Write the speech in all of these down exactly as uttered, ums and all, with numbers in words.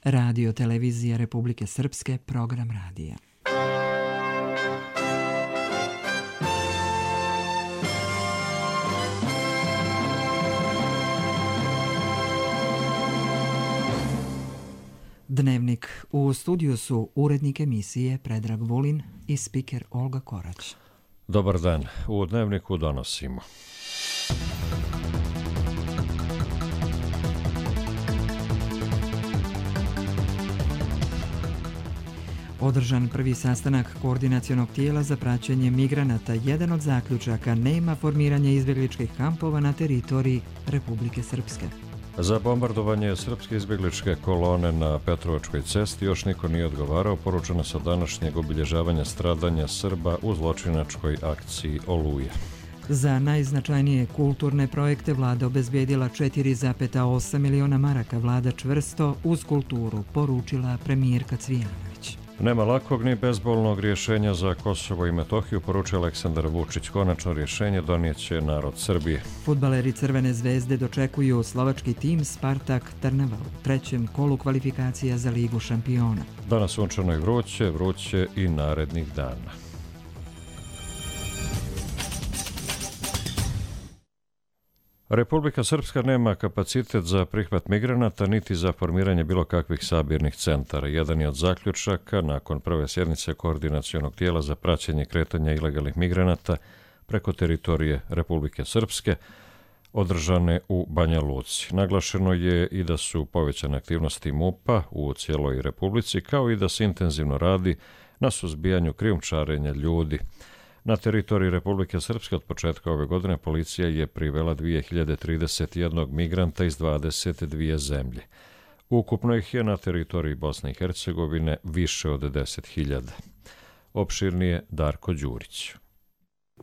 Radio Televizija Republike Srpske, program radija. Dnevnik. U studiju su urednik emisije Predrag Vulin i spiker Olga Korać. Dobar dan. U Dnevniku donosimo. Održan prvi sastanak koordinacionog tijela za praćenje migranata. Jedan od zaključaka: nema formiranja izbjegličkih kampova na teritoriji Republike Srpske. Za bombardovanje srpske izbjegličke kolone na Petrovačkoj cesti još niko nije odgovarao, poručeno sa današnjeg obilježavanja stradanja Srba u zločinačkoj akciji Oluje. Za najznačajnije kulturne projekte vlada obezbijedila četiri zarez osam miliona maraka. Vlada čvrsto uz kulturu, poručila premijerka Cvijanović. Nema lakog ni bezbolnog rješenja za Kosovo i Metohiju, poručio Aleksandar Vučić. Konačno rješenje donijeće narod Srbije. Fudbaleri Crvene zvezde dočekuju slovački tim Spartak Trnava u trećem kolu kvalifikacija za Ligu šampiona. Danas sunčano i vruće, vruće i narednih dana. Republika Srpska nema kapacitet za prihvat migranata niti za formiranje bilo kakvih sabirnih centara. Jedan je od zaključaka nakon prve sjednice koordinacionog tijela za praćenje kretanja ilegalnih migranata preko teritorije Republike Srpske, održane u Banja Luci. Naglašeno je i da su povećane aktivnosti MUP-a u cijeloj Republici, kao i da se intenzivno radi na suzbijanju krijumčarenja ljudi. Na teritoriji Republike Srpske od početka ove godine policija je privela dvije hiljade trideset jedan migranta iz dvadeset dvije zemlje. Ukupno ih je na teritoriji Bosne i Hercegovine više od deset hiljada. Opširnije Darko Đurić.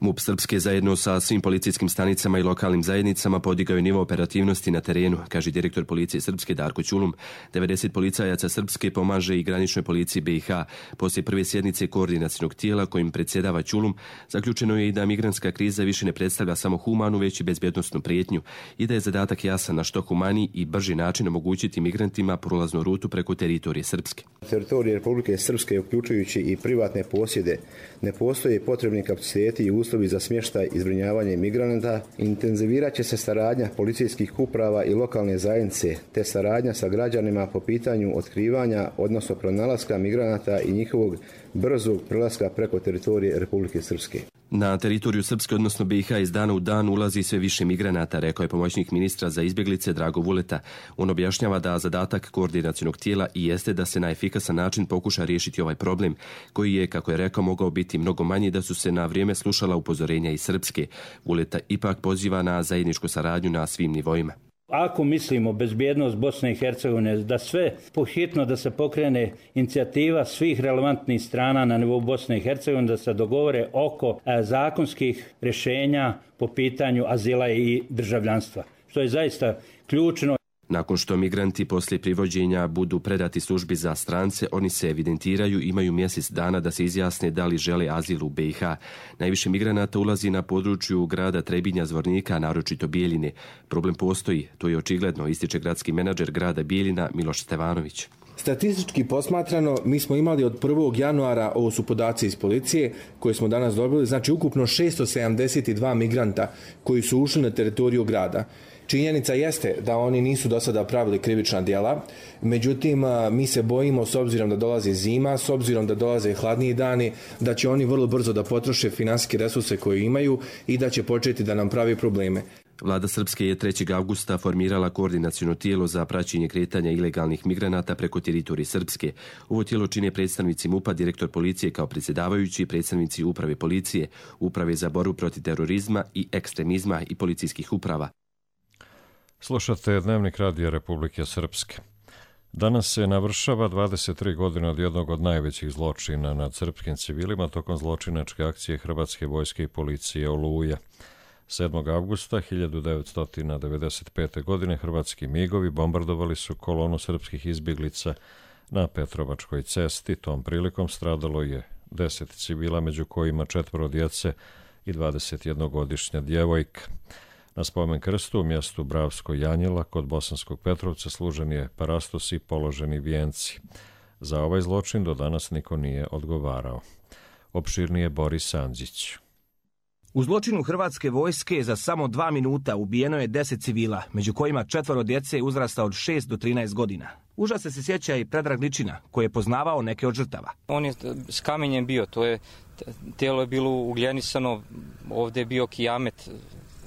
MUP Srpske zajedno sa svim policijskim stanicama i lokalnim zajednicama podigao je nivo operativnosti na terenu, kaže direktor policije Srpske Darko Ćulum. devedeset policajaca Srpske pomaže i graničnoj policiji B i H. Poslije prve sjednice koordinacionog tijela kojim predsjedava Ćulum, zaključeno je i da migrantska kriza više ne predstavlja samo humanu, već i bezbjednosnu prijetnju i da je zadatak jasan na što humaniji i brži način omogućiti migrantima prolaznu rutu preko teritorije Srpske. Teritorije Republike Srpske, uključujući i privatne posjede, ne postoje potrebni kapaciteti i uslovi za smještaj i zbrinjavanje migranata. Intenzivirat će se saradnja policijskih uprava i lokalne zajednice, te saradnja sa građanima po pitanju otkrivanja, odnosno pronalaska migranata i njihovog brzog prelaska preko teritorije Republike Srpske. Na teritoriju Srpske, odnosno B i H, iz dana u dan ulazi sve više migranata, rekao je pomoćnik ministra za izbjeglice Drago Vuleta. On objašnjava da zadatak koordinacionog tijela i jeste da se na efikasan način pokuša riješiti ovaj problem, koji je, kako je rekao, mogao biti mnogo manji da su se na vrijeme slušala upozorenja iz Srpske. Vuleta ipak poziva na zajedničku saradnju na svim nivoima. Ako mislimo bezbjednost Bosne i Hercegovine, da sve pohitno da se pokrene inicijativa svih relevantnih strana na nivou Bosne i Hercegovine, da se dogovore oko e, zakonskih rješenja po pitanju azila i državljanstva, što je zaista ključno. Nakon što migranti poslije privođenja budu predati službi za strance, oni se evidentiraju i imaju mjesec dana da se izjasne da li žele azil u B i H. Najviše migranata ulazi na području grada Trebinja, Zvornika, naročito Bijeljine. Problem postoji, to je očigledno, ističe gradski menadžer grada Bijeljina Miloš Stevanović. Statistički posmatrano, mi smo imali od prvog januara, ovo su podaci iz policije koje smo danas dobili, znači ukupno šesto sedamdeset dva migranta koji su ušli na teritoriju grada. Činjenica jeste da oni nisu do sada pravili krivična djela, međutim mi se bojimo, s obzirom da dolazi zima, s obzirom da dolaze hladniji dani, da će oni vrlo brzo da potroše finansijske resurse koje imaju i da će početi da nam pravi probleme. Vlada Srpske je trećeg avgusta formirala koordinaciono tijelo za praćenje kretanja ilegalnih migranata preko teritorije Srpske. Ovo tijelo čine predstavnici MUP-a, direktor policije kao predsjedavajući, predstavnici uprave policije, uprave za borbu protiv terorizma i ekstremizma i policijskih uprava. Slušate Dnevnik radija Republike Srpske. Danas se navršava dvadeset tri godine od jednog od najvećih zločina nad srpskim civilima tokom zločinačke akcije Hrvatske vojske i policije Oluja. sedmog avgusta hiljadu devetsto devedeset pete. godine hrvatski migovi bombardovali su kolonu srpskih izbjeglica na Petrovačkoj cesti. Tom prilikom stradalo je deset civila, među kojima četvoro djece i dvadesetjednogodišnja djevojka. Na spomen krstu u mjestu Bravsko Janjela kod Bosanskog Petrovca služen je parastos i položeni vijenci. Za ovaj zločin do danas niko nije odgovarao. Opširnije Boris Andžić. U zločinu hrvatske vojske za samo dva minuta ubijeno je deset civila, među kojima četvoro djece uzrasta od šest do trinaest godina. Užasa se sjeća i Predrag Ličina, koji je poznavao neke od žrtava. On je s kamenjem bio, to je, tijelo je bilo ugljenisano, ovdje je bio kijamet.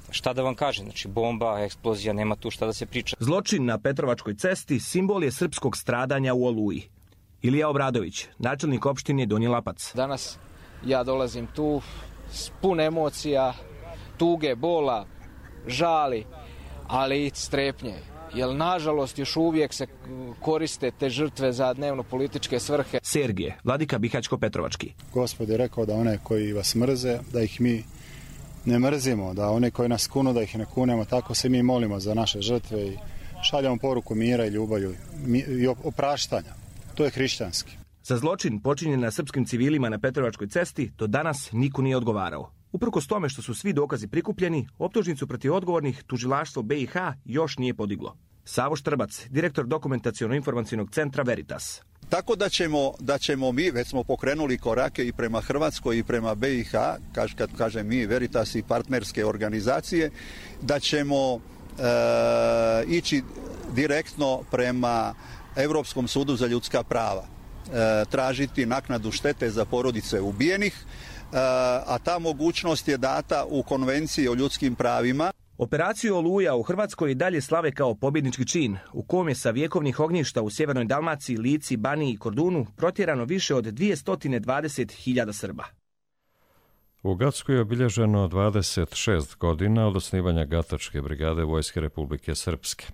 Šta da vam kažem, znači bomba, eksplozija, nema tu šta da se priča. Zločin na Petrovačkoj cesti simbol je srpskog stradanja u Oluji. Ilija Obradović, načelnik opštine Donji Lapac. Danas ja dolazim tu s puno emocija, tuge, bola, žali, ali i strepnje. Jer nažalost još uvijek se koriste te žrtve za dnevno političke svrhe. Sergije, vladika Bihaćko-Petrovački. Gospod je rekao da one koji vas mrze, da ih mi ne mrzimo, da one koji nas kunu, da ih ne kunemo, tako se mi molimo za naše žrtve i šaljamo poruku mira i ljubavi i opraštanja. To je hrišćanski. Za zločin počinjen na srpskim civilima na Petrovačkoj cesti do danas niko nije odgovarao. Uprkos tome što su svi dokazi prikupljeni, optužnicu protiv odgovornih tužilaštvo B i H još nije podiglo. Savo Štrbac, direktor dokumentaciono-informacijnog centra Veritas. Tako da ćemo, da ćemo mi, već smo pokrenuli korake i prema Hrvatskoj i prema B i H, kaž, kad kažem mi, Veritas i partnerske organizacije, da ćemo e, ići direktno prema Europskom sudu za ljudska prava, e, tražiti naknadu štete za porodice ubijenih, e, a ta mogućnost je data u Konvenciji o ljudskim pravima. Operaciju Oluja u Hrvatskoj i dalje slave kao pobjednički čin, u kom je sa vjekovnih ognjišta u sjevernoj Dalmaciji, Lici, Baniji i Kordunu protjerano više od dvjesto dvadeset hiljada Srba. U Gacku je obilježeno dvadeset šest godina od osnivanja Gatačke brigade Vojske Republike Srpske.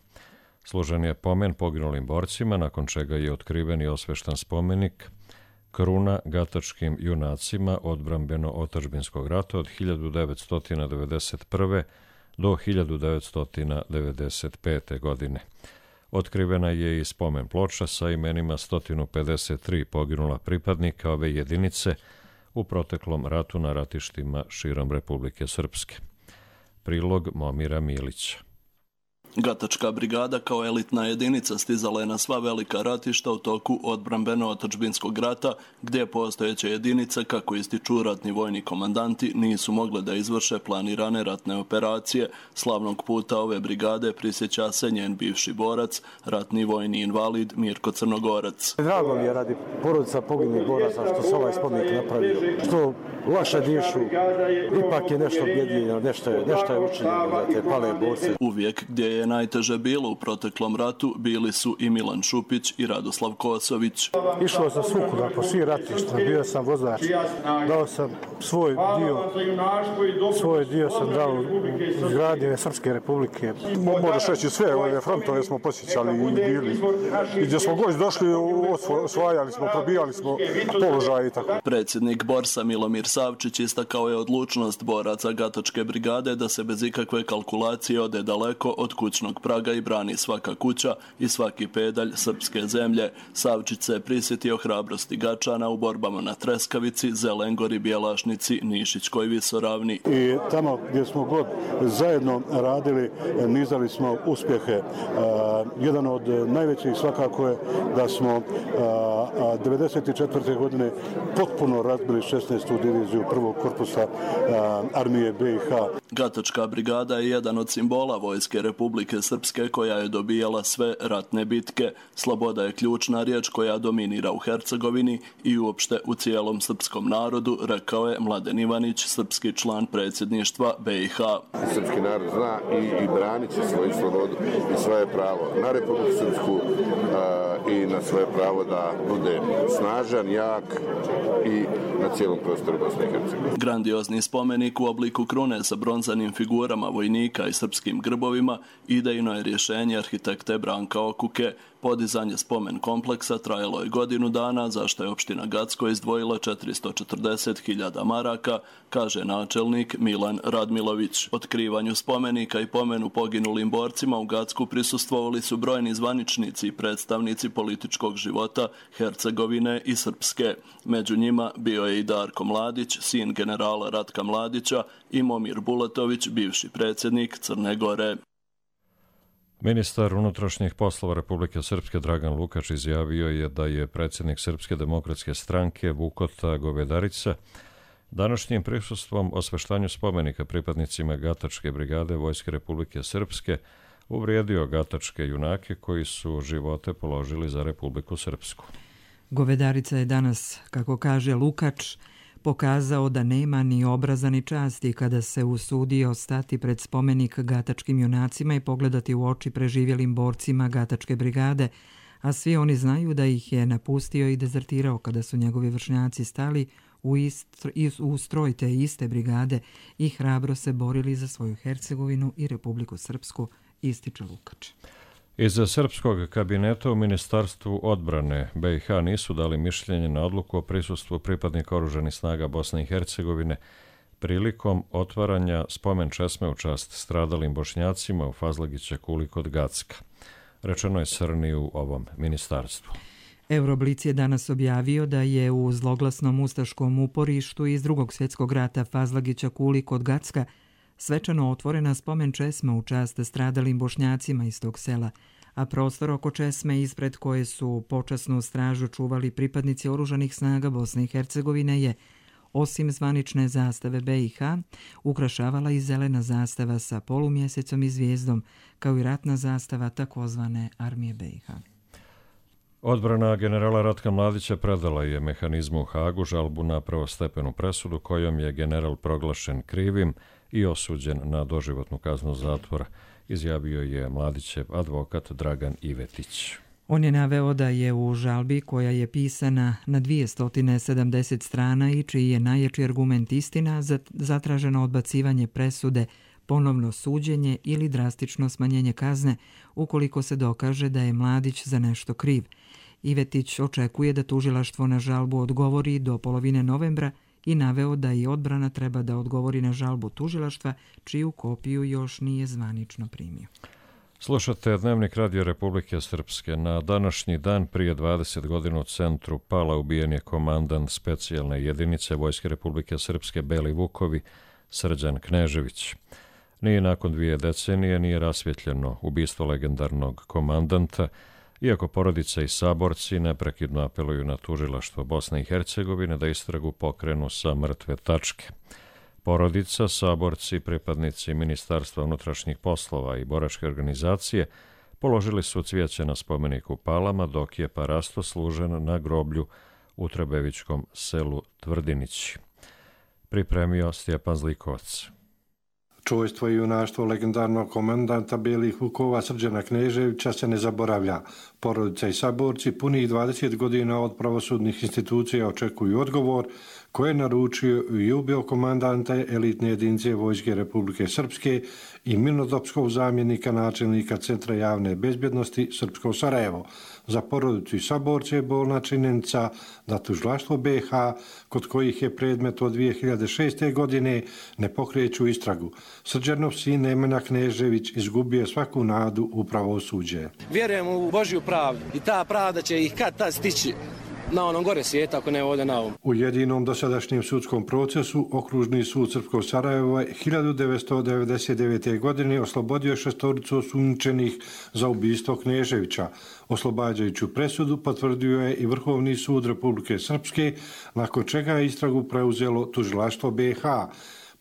Služen je pomen poginulim borcima, nakon čega je otkriven i osveštan spomenik Kruna gatačkim junacima odbrambeno-otadžbinskog rata od hiljadu devetsto devedeset prve do hiljadu devetsto devedeset pete. godine. Otkrivena je i spomen ploča sa imenima sto pedeset tri poginula pripadnika ove jedinice u proteklom ratu na ratištima širom Republike Srpske. Prilog Momira Milića. Gatačka brigada kao elitna jedinica stizala je na sva velika ratišta u toku odbrambeno-otadžbinskog rata, gdje postojeće jedinice, kako ističu ratni vojni komandanti, nisu mogle da izvrše planirane ratne operacije. Slavnog puta ove brigade prisjeća se njen bivši borac, ratni vojni invalid Mirko Crnogorac. Drago mi je radi porodica poginulih boraca što se ovaj spomenik napravio, što laše dišu, ipak je nešto objedinjeno, nešto je, nešto je učinjeno za te pale borce. Uvijek gdje je najteže bilo u proteklom ratu bili su i Milan Šupić i Radoslav Kosović. Išlo sam svukuda po svih ratištima, bio sam vozač, dao sam svoj dio, svoj dio sam dao izgradnje Srpske republike. Možeš reći sve, ove frontove smo posjećali i bili. I gdje smo god došli, osvajali smo, probijali smo položaje i tako. Predsjednik Borsa Milomir Savčić istakao je odlučnost boraca Gatačke brigade da se bez ikakve kalkulacije ode daleko od kućnog praga i brani svaka kuća i svaki pedalj srpske zemlje. Savčić se prisjetio hrabrosti Gačana u borbama na Treskavici, Zelengori, Bjelašnici, Nišićkoj visoravni. I tamo gdje smo god zajedno radili, nizali smo uspjehe. Uh, jedan od najvećih svakako je da smo uh, devedeset četvrte. godine potpuno razbili šesnaestu diviziju prvog korpusa uh, armije B i H. Gatačka brigada je jedan od simbola Vojske Republike Srpske koja je dobijala sve ratne bitke. Sloboda je ključna riječ koja dominira u Hercegovini i uopšte u cijelom srpskom narodu, rekao je Mladen Ivanić, srpski član predsjedništva B i H. Srpski narod zna i, i branit će svoju slobodu i svoje pravo na Republiku Srpsku a, i na svoje pravo da bude snažan, jak i na cijelom prostoru Bosne i Hercegovine. Grandiozni spomenik u obliku krune sa bronzanim figurama vojnika i srpskim grbovima idejno je rješenje arhitekte Branka Okuke. Podizanje spomen kompleksa trajalo je godinu dana, za što je opština Gacko izdvojila četiristo četrdeset hiljada maraka, kaže načelnik Milan Radmilović. Otkrivanju spomenika i pomenu poginulim borcima u Gacku prisustvovali su brojni zvaničnici i predstavnici političkih političkog života Hercegovine i Srpske. Među njima bio je i Darko Mladić, sin generala Ratka Mladića, i Momir Bulatović, bivši predsjednik Crne Gore. Ministar unutrašnjih poslova Republike Srpske Dragan Lukač izjavio je da je predsjednik Srpske demokratske stranke Vukota Govedarica današnjim prisustvom osveštanju spomenika pripadnicima Gatačke brigade Vojske Republike Srpske uvrijedio gatačke junake koji su živote položili za Republiku Srpsku. Govedarica je danas, kako kaže Lukač, pokazao da nema ni obraza ni časti kada se usudio stati pred spomenik gatačkim junacima i pogledati u oči preživjelim borcima Gatačke brigade, a svi oni znaju da ih je napustio i dezertirao kada su njegovi vršnjaci stali u, istr, u stroj te iste brigade i hrabro se borili za svoju Hercegovinu i Republiku Srpsku, ističe Lukač. Iz srpskog kabineta u Ministarstvu odbrane B i H nisu dali mišljenje na odluku o prisustvu pripadnika oružanih snaga Bosne i Hercegovine prilikom otvaranja spomen česme u čast stradalim Bošnjacima u Fazlagića Kuli kod Gacka. Rečeno je Srni u ovom ministarstvu. Euroblic je danas objavio da je u zloglasnom ustaškom uporištu iz drugog svjetskog rata Fazlagića Kuli kod Gacka svečano otvorena spomen česma u čast stradalim Bošnjacima iz tog sela, a prostor oko česme ispred koje su počasnu stražu čuvali pripadnici oružanih snaga Bosne i Hercegovine je, osim zvanične zastave B i H, ukrašavala i zelena zastava sa polumjesecom i zvijezdom, kao i ratna zastava takozvane armije B i H. Odbrana generala Ratka Mladića predala je mehanizmu u Hagu žalbu na prvostepenu presudu kojom je general proglašen krivim i osuđen na doživotnu kaznu zatvora, izjavio je Mladićev advokat Dragan Ivetić. On je naveo da je u žalbi koja je pisana na dvjesto sedamdeset strana i čiji je najjači argument istina zatraženo odbacivanje presude, ponovno suđenje ili drastično smanjenje kazne ukoliko se dokaže da je Mladić za nešto kriv. Ivetić očekuje da tužilaštvo na žalbu odgovori do polovine novembra i naveo da i odbrana treba da odgovori na žalbu tužilaštva, čiju kopiju još nije zvanično primio. Slušate Dnevnik Radio Republike Srpske. Na današnji dan prije dvadeset godina u centru Pala ubijen je komandant specijalne jedinice Vojske Republike Srpske Beli Vukovi, Srđan Knežević. Nije nakon dvije decenije nije rasvjetljeno ubistvo legendarnog komandanta, iako porodica i saborci neprekidno apeluju na tužilaštvo Bosne i Hercegovine da istragu pokrenu sa mrtve tačke. Porodica, saborci, pripadnici Ministarstva unutrašnjih poslova i boračke organizacije položili su cvijeće na spomeniku Palama, dok je parasto služen na groblju u Trebevičkom selu Tvrdinići. Pripremio Stjepan Zlikovac. Čojstvo i junaštvo legendarnog komandanta Belih Vukova Srđana Kneževića se ne zaboravlja. Porodica i saborci punih dvadeset godina od pravosudnih institucija očekuju odgovor koje je naručio i ubio komandanta elitne jedinice Vojske Republike Srpske i mirnodopskog zamjenika načelnika Centra javne bezbjednosti Srpsko Sarajevo. Za porodicu i saborce je bolna činjenica da tužilaštvo B i H, kod kojih je predmet od dvije hiljade šeste. godine, ne pokreću istragu. Srđanov sin Nemanja Knežević izgubio svaku nadu u pravosuđe. Vjerujem u Božju pravdu i ta pravda će ih kad tad stići na onom gore svijeta, ako ne ovdje na ovom. U jedinom dosadašnjem sudskom procesu Okružni sud Srpskog Sarajeva hiljadu devetsto devedeset devete. godine oslobodio šestoricu osumnjičenih za ubistvo Kneževića. Oslobađajuću presudu potvrdio je i Vrhovni sud Republike Srpske, nakon čega je istragu preuzelo tužilaštvo B i H.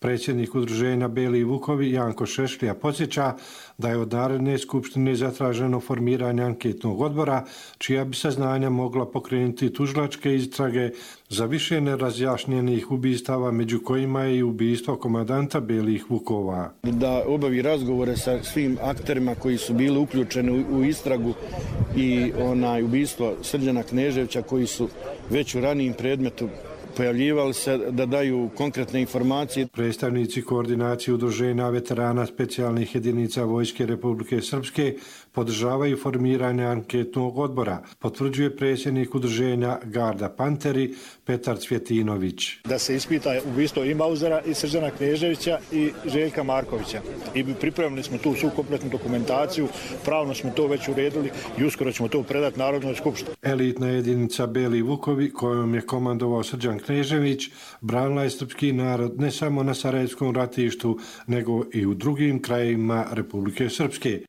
Predsjednik udruženja Beli Vukovi Janko Šešlija podsjeća da je od Narodne skupštine zatraženo formiranje anketnog odbora, čija bi saznanja mogla pokrenuti tužilačke istrage za više nerazjašnjenih ubistava, među kojima je i ubistvo komandanta Belih Vukova. Da obavi razgovore sa svim akterima koji su bili uključeni u istragu i onaj ubistvo Srđana Kneževića, koji su već u ranijim predmetu pojavljivali se, da daju konkretne informacije. Predstavnici koordinacije udruženja veterana specijalnih jedinica Vojske Republike Srpske podržavaju formiranje anketnog odbora, potvrđuje predsjednik udruženja Garda Panteri Petar Cvjetinović. Da se ispita ubistvo i Mauzera i Srđana Kneževića i Željka Markovića. I pripremili smo tu svu kompletnu dokumentaciju, pravno smo to već uredili i uskoro ćemo to predati Narodnoj skupštini. Elitna jedinica Beli Vukovi, kojom je komandovao Srđan Knežević, branila je srpski narod ne samo na Sarajevskom ratištu, nego i u drugim krajevima Republike Srpske.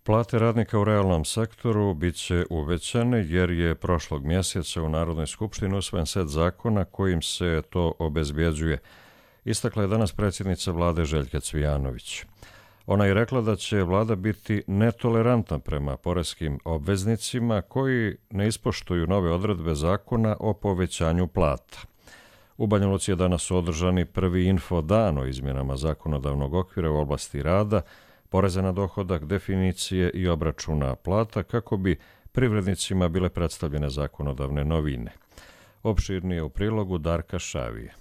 Plate radnika u realnom sektoru bit će uvećane jer je prošlog mjeseca u Narodnoj skupštini usvojen set zakona kojim se to obezbjeđuje. Istakla je danas predsjednica vlade Željka Cvijanović. Ona je rekla da će vlada biti netolerantna prema poreskim obveznicima koji ne ispoštuju nove odredbe zakona o povećanju plata. U Banja Luci je danas održani prvi info dan o izmjenama zakonodavnog okvira u oblasti rada, poreza na dohodak, definicije i obračuna plata kako bi privrednicima bile predstavljene zakonodavne novine. Opširnije u prilogu Darka Šavije.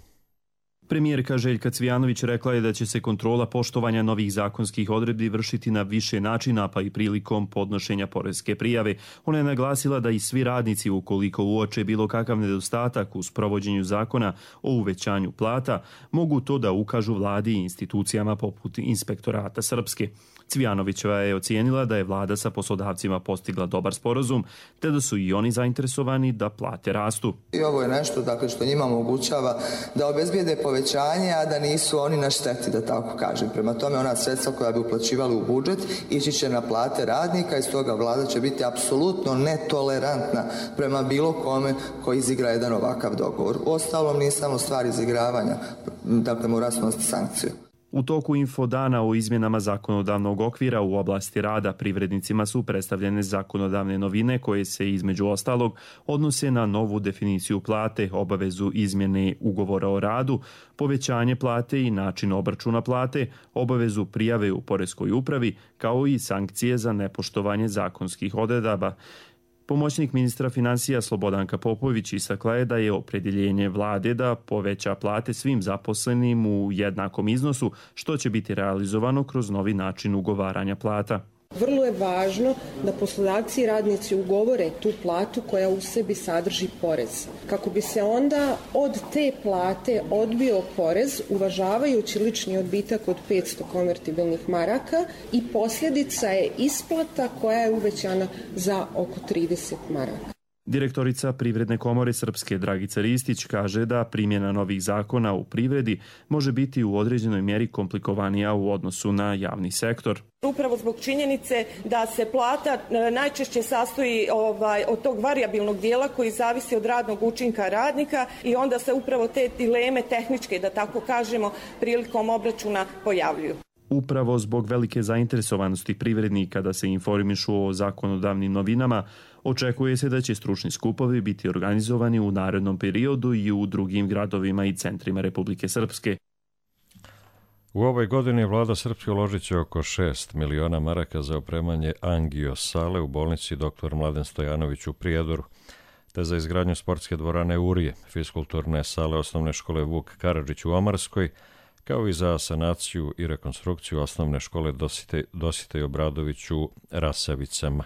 Premijerka Željka Cvijanović rekla je da će se kontrola poštovanja novih zakonskih odredbi vršiti na više načina, pa i prilikom podnošenja poreske prijave. Ona je naglasila da i svi radnici, ukoliko uoče bilo kakav nedostatak u sprovođenju zakona o uvećanju plata, mogu to da ukažu vladi i institucijama poput Inspektorata Srpske. Cvijanovićeva je ocijenila da je vlada sa poslodavcima postigla dobar sporazum, te da su i oni zainteresovani da plate rastu. I ovo je nešto dakle, što njima omogućava da obezbijede povećanje, a da nisu oni na šteti, da tako kažem. Prema tome, ona sredstva koja bi uplaćivali u budžet ići će na plate radnika i stoga vlada će biti apsolutno netolerantna prema bilo kome koji izigra jedan ovakav dogovor. Uostalom, nije samo stvar izigravanja, dakle mora snositi sankciju. U toku infodana o izmjenama zakonodavnog okvira u oblasti rada privrednicima su predstavljene zakonodavne novine koje se između ostalog odnose na novu definiciju plate, obavezu izmjene ugovora o radu, povećanje plate i način obračuna plate, obavezu prijave u poreskoj upravi, kao i sankcije za nepoštovanje zakonskih odredaba. Pomoćnik ministra financija Slobodanka Popović istakla je da je opredjeljenje vlade da poveća plate svim zaposlenim u jednakom iznosu, što će biti realizovano kroz novi način ugovaranja plata. Vrlo je važno da poslodavci i radnici ugovore tu platu koja u sebi sadrži porez. Kako bi se onda od te plate odbio porez, uvažavajući lični odbitak od petsto konvertibilnih maraka, i posljedica je isplata koja je uvećana za oko trideset maraka. Direktorica Privredne komore Srpske Dragica Ristić kaže da primjena novih zakona u privredi može biti u određenoj mjeri komplikovanija u odnosu na javni sektor. Upravo zbog činjenice da se plata najčešće sastoji ovaj, od tog varijabilnog dijela koji zavisi od radnog učinka radnika i onda se upravo te dileme tehničke, da tako kažemo, prilikom obračuna pojavljuju. Upravo zbog velike zainteresovanosti privrednika da se informišu o zakonodavnim novinama, očekuje se da će stručni skupovi biti organizovani u narednom periodu i u drugim gradovima i centrima Republike Srpske. U ovoj godini vlada Srpske uložit će oko šest miliona maraka za opremanje angio sale u bolnici doktor Mladen Stojanović u Prijedoru, te za izgradnju sportske dvorane Urije, fiskulturne sale osnovne škole Vuk Karadžić u Omarskoj, kao i za sanaciju i rekonstrukciju osnovne škole Dositej, Dositej Obradović u Rasavicama.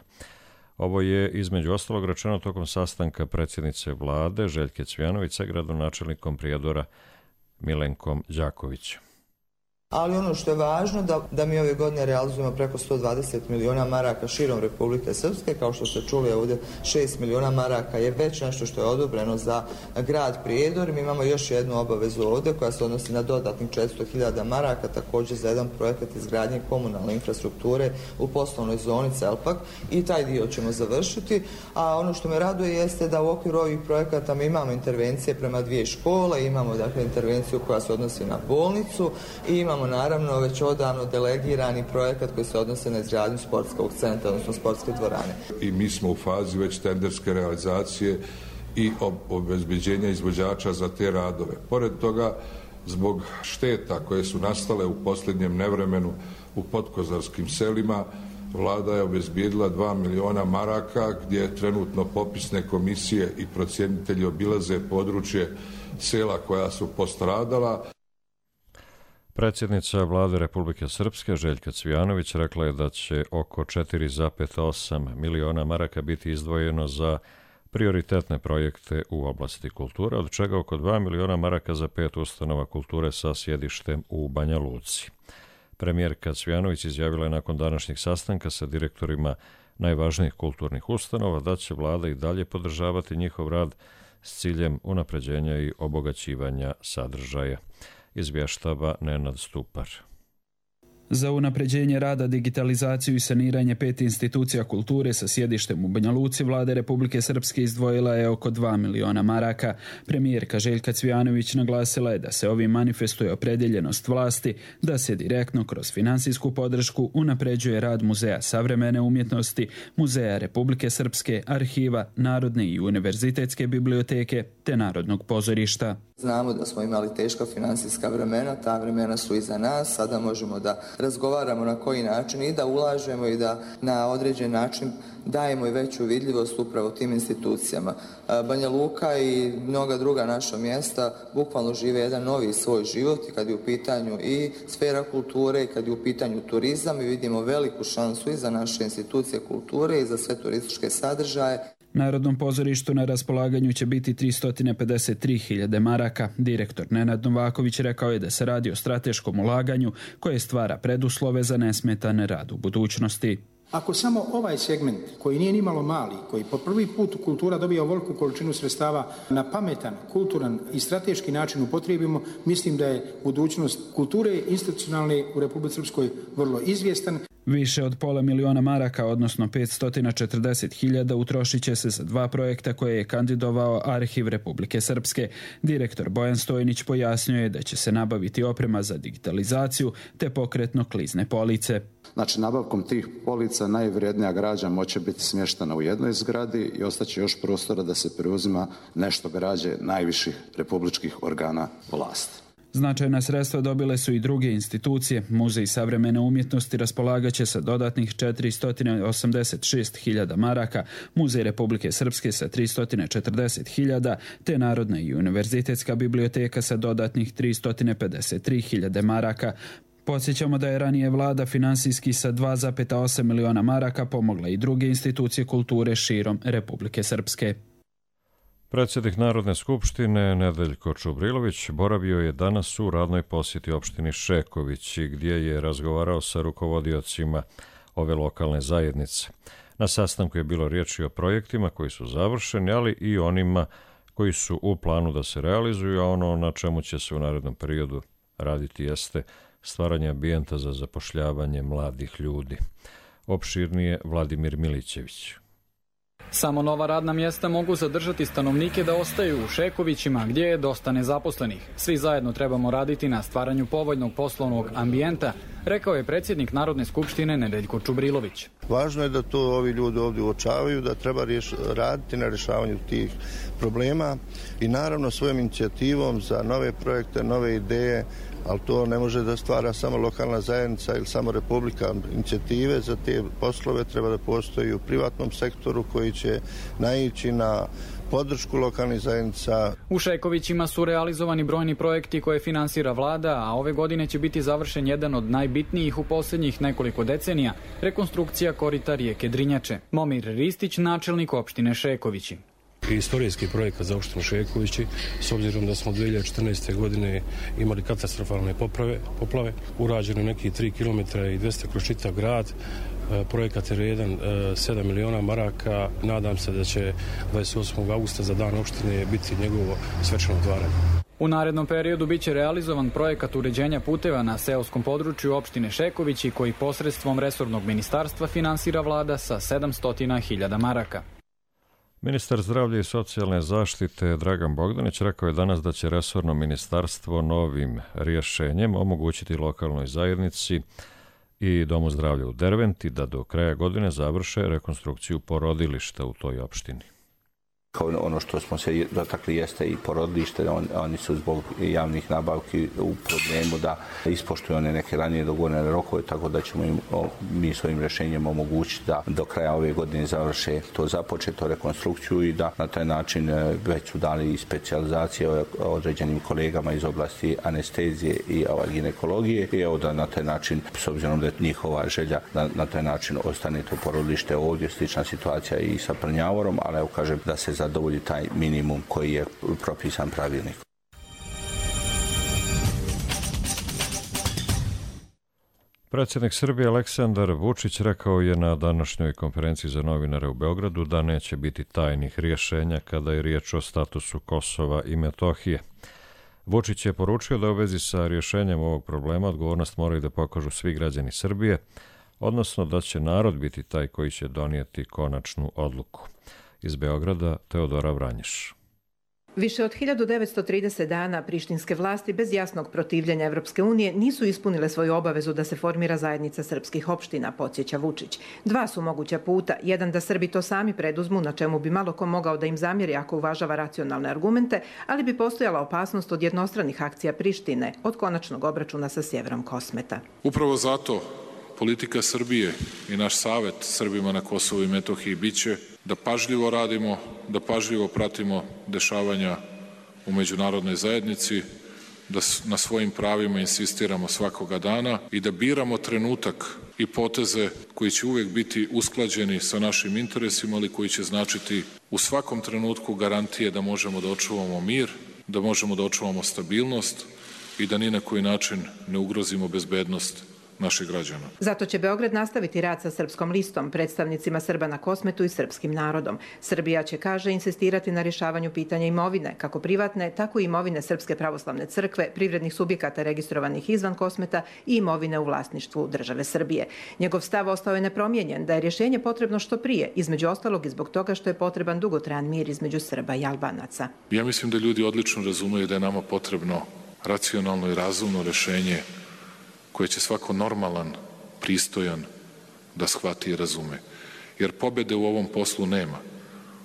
Ovo je između ostalog rečeno tokom sastanka predsjednice vlade Željke Cvijanović sa gradonačelnikom Prijedora Milenkom Đakovićem. Ali ono što je važno da, da mi ove godine realizujemo preko sto dvadeset miliona maraka širom Republike Srpske. Kao što ste čuli ovdje, šest miliona maraka je već nešto što je odobreno za grad Prijedor. Mi imamo još jednu obavezu ovdje koja se odnosi na dodatnih četiristo hiljada maraka, također za jedan projekat izgradnje komunalne infrastrukture u poslovnoj zoni Celpak, i taj dio ćemo završiti. A ono što me raduje jeste da u okviru ovih projekata mi imamo intervencije prema dvije škole, imamo dakle intervenciju koja se odnosi na bolnicu i imamo naravno već odavno delegirani projekat koji se odnose na izgradnju sportskog centra, odnosno sportske dvorane. I mi smo u fazi već tenderske realizacije i obezbeđenja izvođača za te radove. Pored toga, zbog šteta koje su nastale u posljednjem nevremenu u podkozarskim selima, vlada je obezbijedila dva miliona maraka gdje trenutno popisne komisije i procjenitelji obilaze područje sela koja su postradala. Predsjednica vlade Republike Srpske Željka Cvijanović rekla je da će oko četiri zarez osam miliona maraka biti izdvojeno za prioritetne projekte u oblasti kulture, od čega oko dva miliona maraka za pet ustanova kulture sa sjedištem u Banja Luci. Premijerka Cvijanović izjavila je nakon današnjeg sastanka sa direktorima najvažnijih kulturnih ustanova da će vlada i dalje podržavati njihov rad s ciljem unapređenja i obogaćivanja sadržaja. Izvještava Nenad Stupar. Za unapređenje rada, digitalizaciju i saniranje pet institucija kulture sa sjedištem u Banja Luci vlada Republike Srpske izdvojila je oko dva miliona maraka. Premijerka Željka Cvijanović naglasila je da se ovim manifestuje opredjeljenost vlasti da se direktno kroz finansijsku podršku unapređuje rad Muzeja savremene umjetnosti, Muzeja Republike Srpske, arhiva, Narodne i univerzitetske biblioteke te Narodnog pozorišta. Znamo da smo imali teška financijska vremena, ta vremena su iza nas, sada možemo da razgovaramo na koji način i da ulažemo i da na određen način dajemo i veću vidljivost upravo tim institucijama. Banja Luka i mnoga druga naša mjesta bukvalno žive jedan novi svoj život i kad je u pitanju i sfera kulture i kad je u pitanju turizam i vidimo veliku šansu i za naše institucije kulture i za sve turističke sadržaje. Narodnom pozorištu na raspolaganju će biti tristo pedeset tri hiljade maraka. Direktor Nenad Novaković rekao je da se radi o strateškom ulaganju koje stvara preduslove za nesmetan rad u budućnosti. Ako samo ovaj segment, koji nije nimalo mali, koji po prvi put kultura dobija ovoliku količinu sredstava na pametan, kulturan i strateški način upotrijebimo, mislim da je budućnost kulture institucionalne u Republici Srpskoj vrlo izvjestan. Više od pola miliona maraka, odnosno petsto četrdeset hiljada, utrošit će se za dva projekta koje je kandidovao Arhiv Republike Srpske. Direktor Bojan Stojnić pojasnio je da će se nabaviti oprema za digitalizaciju te pokretno klizne police. Znači, nabavkom tih polica najvrijednija građa moće biti smještena u jednoj zgradi i ostaće još prostora da se preuzima nešto građe najviših republičkih organa vlasti. Značajna sredstva dobile su i druge institucije. Muzej savremene umjetnosti raspolagaće sa dodatnih četiristo osamdeset šest hiljada maraka, Muzej Republike Srpske sa tristo četrdeset hiljada, te Narodna i univerzitetska biblioteka sa dodatnih tristo pedeset tri hiljade maraka. Podsjećamo da je ranije vlada finansijski sa dva zarez osam miliona maraka pomogla i druge institucije kulture širom Republike Srpske. Predsjednik Narodne skupštine Nedeljko Čubrilović boravio je danas u radnoj posjeti opštini Šeković, gdje je razgovarao sa rukovodiocima ove lokalne zajednice. Na sastanku je bilo riječi o projektima koji su završeni, ali i onima koji su u planu da se realizuju, a ono na čemu će se u narednom periodu raditi jeste stvaranje ambijenta za zapošljavanje mladih ljudi. Opširnije Vladimir Milićević. Samo nova radna mjesta mogu zadržati stanovnike da ostaju u Šekovićima, gdje je dosta nezaposlenih. Svi zajedno trebamo raditi na stvaranju povoljnog poslovnog ambijenta, rekao je predsjednik Narodne skupštine Nedeljko Čubrilović. Važno je da to ovi ljudi ovdje uočavaju, da treba riješ, raditi na rješavanju tih problema i naravno svojom inicijativom za nove projekte, nove ideje, ali to ne može da stvara samo lokalna zajednica ili samo Republika. Inicijative za te poslove treba da postoji u privatnom sektoru koji će naići na podršku lokalnih zajednica. U Šekovićima su realizovani brojni projekti koje finansira vlada, a ove godine će biti završen jedan od najbitnijih u posljednjih nekoliko decenija, rekonstrukcija korita rijeke Drinjače. Momir Ristić, načelnik opštine Šekovići. Istorijski projekat za opštinu Šekovići, s obzirom da smo dvije hiljade četrnaeste. godine imali katastrofalne poprave, poplave, urađeno neki tri kilometra i dvesta kroz čitav grad. Projekat je vrijedan sedam miliona maraka. Nadam se da će dvadeset osmog augusta za dan opštine biti njegovo svečano otvaranje. U narednom periodu biće realizovan projekat uređenja puteva na seoskom području opštine Šekovići, koji posredstvom resornog ministarstva finansira vlada sa sedamsto hiljada maraka. Ministar zdravlja i socijalne zaštite Dragan Bogdanić rekao je danas da će resorno ministarstvo novim rješenjem omogućiti lokalnoj zajednici i Domu zdravlja u Derventi da do kraja godine završe rekonstrukciju porodilišta u toj opštini. Kao ono što smo se dotakli jeste i porodilište, on, oni su zbog javnih nabavki u problemu da ispoštuju one neke ranije dogovorene rokove, tako da ćemo im o, mi svojim rješenjem omogućiti da do kraja ove godine završe to započeto rekonstrukciju i da na taj način već su dali i specijalizacije određenim kolegama iz oblasti anestezije i ginekologije i evo da na taj način, s obzirom da je njihova želja da na taj način ostane to porodilište ovdje, slična situacija i sa Prnjavorom, ali evo kažem da se zadovolji taj minimum koji je propisan pravilnik. Predsjednik Srbije Aleksandar Vučić rekao je na današnjoj konferenciji za novinare u Beogradu da neće biti tajnih rješenja kada je riječ o statusu Kosova i Metohije. Vučić je poručio da u vezi sa rješenjem ovog problema odgovornost moraju da pokažu svi građani Srbije, odnosno da će narod biti taj koji će donijeti konačnu odluku. Iz Beograda Teodora Vranješ. Više od hiljadu devetsto trideset dana prištinske vlasti bez jasnog protivljenja Evropske unije nisu ispunile svoju obavezu da se formira zajednica srpskih opština, podsjeća Vučić. Dva su moguća puta. Jedan da Srbi to sami preduzmu, na čemu bi malo ko mogao da im zamjeri ako uvažava racionalne argumente, ali bi postojala opasnost od jednostranih akcija Prištine, od konačnog obračuna sa sjeverom Kosmeta. Upravo zato politika Srbije i naš savet Srbima na Kosovu i Metohiji biće da pažljivo radimo, da pažljivo pratimo dešavanja u međunarodnoj zajednici, da na svojim pravima insistiramo svakoga dana i da biramo trenutak i poteze koji će uvijek biti usklađeni sa našim interesima, ali koji će značiti u svakom trenutku garantije da možemo da očuvamo mir, da možemo da očuvamo stabilnost i da ni na koji način ne ugrozimo bezbednost naših građana. Zato će Beograd nastaviti rad sa Srpskom listom, predstavnicima Srba na Kosmetu i srpskim narodom. Srbija će, kaže, insistirati na rješavanju pitanja imovine, kako privatne, tako i imovine Srpske pravoslavne crkve, privrednih subjekata registrovanih izvan Kosmeta i imovine u vlasništvu države Srbije. Njegov stav ostao je nepromijenjen, da je rješenje potrebno što prije, između ostalog i zbog toga što je potreban dugotrajan mir između Srba i Albanaca. Ja mislim da ljudi odlično razumeju da je nama potrebno racionalno i razumno rješenje koje će svako normalan, pristojan da shvati i razume. Jer pobjede u ovom poslu nema.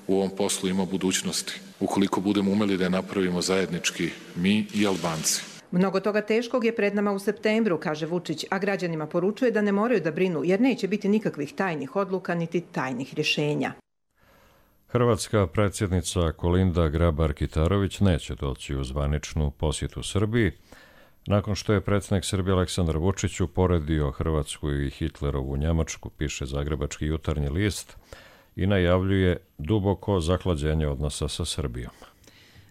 U ovom poslu ima budućnosti. Ukoliko budemo umeli da je napravimo zajednički mi i Albanci. Mnogo toga teškog je pred nama u septembru, kaže Vučić, a građanima poručuje da ne moraju da brinu jer neće biti nikakvih tajnih odluka niti tajnih rješenja. Hrvatska predsjednica Kolinda Grabar-Kitarović neće doći u zvaničnu posjetu Srbiji, nakon što je predsjednik Srbije Aleksandar Vučić uporedio Hrvatsku i Hitlerovu Njemačku, piše Zagrebački jutarnji list, i najavljuje duboko zahlađenje odnosa sa Srbijom.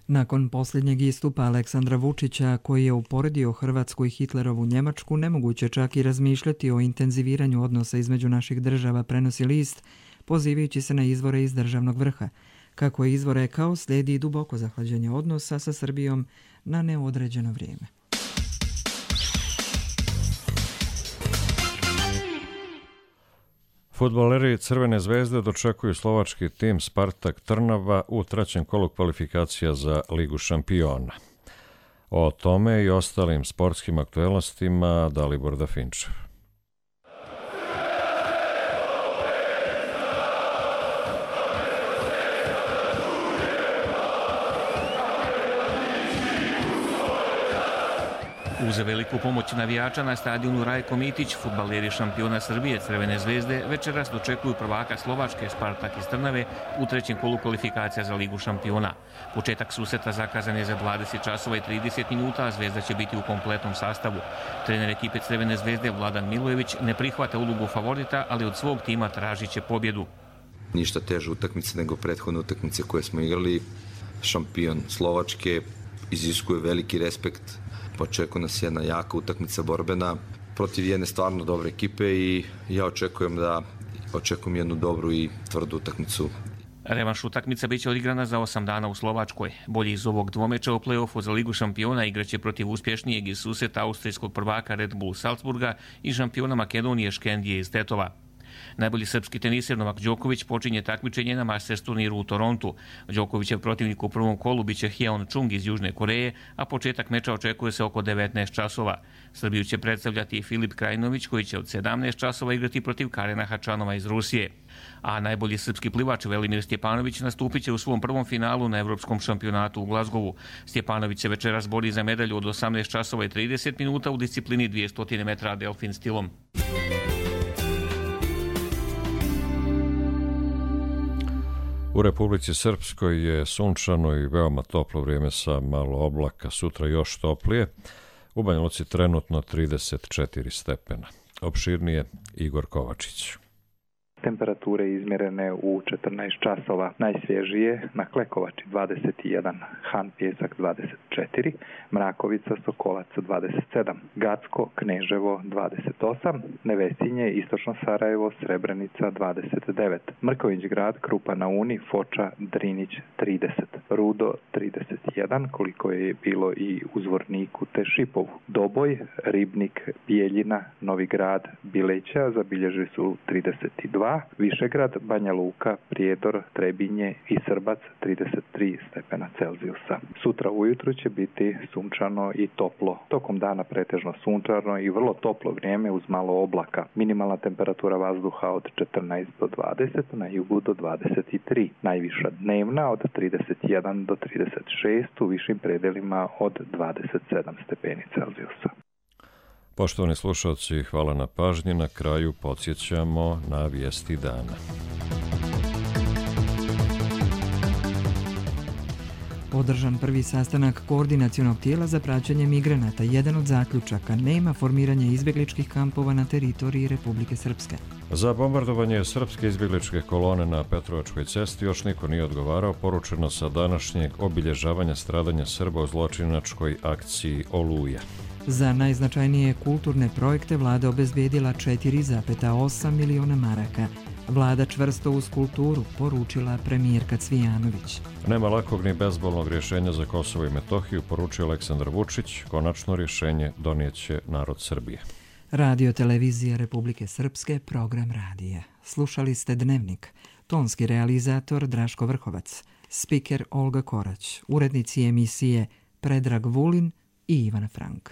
Nakon posljednjeg istupa Aleksandra Vučića, koji je uporedio Hrvatsku i Hitlerovu Njemačku, nemoguće čak i razmišljati o intenziviranju odnosa između naših država, prenosi list, pozivajući se na izvore iz državnog vrha. Kako je izvor rekao, slijedi duboko zahlađenje odnosa sa Srbijom na neodređeno vrijeme. Fudbaleri Crvene zvezde dočekuju slovački tim Spartak Trnava u trećem kolu kvalifikacija za Ligu šampiona. O tome i ostalim sportskim aktuelnostima Dalibor Dafinčev. Uz veliku pomoć navijača na stadionu Rajko Mitić, fudbaleri šampiona Srbije Crvene zvezde večeras dočekuju prvaka Slovačke Spartak iz Trnave u trećem kolu kvalifikacija za Ligu šampiona. Početak susreta zakazan je za dvadeset časova i trideset minuta, a Zvezda će biti u kompletnom sastavu. Trener ekipe Crvene zvezde Vladan Milojević ne prihvata ulogu favorita, ali od svog tima tražit će pobjedu. Ništa teže utakmice nego prethodne utakmice koje smo igrali. Šampion Slovačke iziskuje veliki respekt. Očekuje nas jedna jaka utakmica borbena protiv jedne stvarno dobre ekipe i ja očekujem da očekujem jednu dobru i tvrdu utakmicu. Revanš utakmica biće odigrana za osam dana u Slovačkoj. Bolji iz ovog dvomeča u play-offu za Ligu šampiona igraće protiv uspješnijeg iz susreta austrijskog prvaka Red Bull Salzburga i šampiona Makedonije Škendije iz Tetova. Najbolji srpski teniser Novak Đoković počinje takmičenje na Masters turniru u Torontu. Đokovićev protivnik u prvom kolu biće Hyeon Chung iz Južne Koreje, a početak meča očekuje se oko devetnaest časova. Srbiju će predstavljati Filip Krajinović koji će od sedamnaest časova igrati protiv Karena Hačanova iz Rusije. A najbolji srpski plivač Velimir Stjepanović nastupit će u svom prvom finalu na Evropskom šampionatu u Glazgovu. Stjepanović se večeras bori za medalju od osamnaest časova i trideset minuta u disciplini dvjesto metra delfin stilom. U Republici Srpskoj je sunčano i veoma toplo vrijeme sa malo oblaka, sutra još toplije. U Banja Luci trenutno trideset četiri stepena. Opširnije Igor Kovačić. Temperature izmjerene u četrnaest časova, najsvježije na Klekovači dvadeset jedan, Han Pjesak dvadeset četiri, Mrakovica Sokolac dvadeset sedam, Gacko Kneževo dvadeset osam, Nevesinje Istočno Sarajevo Srebrenica dvadeset devet, Mrković grad Krupa na Uni Foča Drinić trideset, Rudo trideset jedan, koliko je bilo i u Zvorniku te Šipovu, Doboj, Ribnik, Bijeljina, Novi grad, Bileća zabilježili su trideset dva, Višegrad, Banja Luka, Prijedor, Trebinje i Srbac trideset tri stepena Celzijusa. Sutra ujutru će biti sunčano i toplo. Tokom dana pretežno sunčano i vrlo toplo vrijeme uz malo oblaka. Minimalna temperatura vazduha od četrnaest do dvadeset, na jugu do dvadeset tri. Najviša dnevna od trideset jedan do trideset šest, u višim predelima od dvadeset sedam stepeni Celzijusa. Poštovani slušalci, hvala na pažnji. Na kraju podsjećamo na vijesti dana. Održan prvi sastanak koordinacionog tijela za praćenje migranata. Jedan od zaključaka: nema formiranja izbjegličkih kampova na teritoriji Republike Srpske. Za bombardovanje srpske izbjegličke kolone na Petrovačkoj cesti još niko nije odgovarao, poručeno sa današnjeg obilježavanja stradanja Srba u zločinačkoj akciji Oluja. Za najznačajnije kulturne projekte vlada obezbijedila četiri zarez osam miliona maraka. Vlada čvrsto uz kulturu, poručila premijerka Cvijanović. Nema lakog ni bezbolnog rješenja za Kosovo i Metohiju, poručio Aleksandar Vučić. Konačno rješenje donijeće narod Srbije. Radio Televizija Republike Srpske, program radija. Slušali ste Dnevnik. Tonski realizator Draško Vrhovac. Spiker Olga Korać. Urednici emisije Predrag Vulin i Ivana Frank.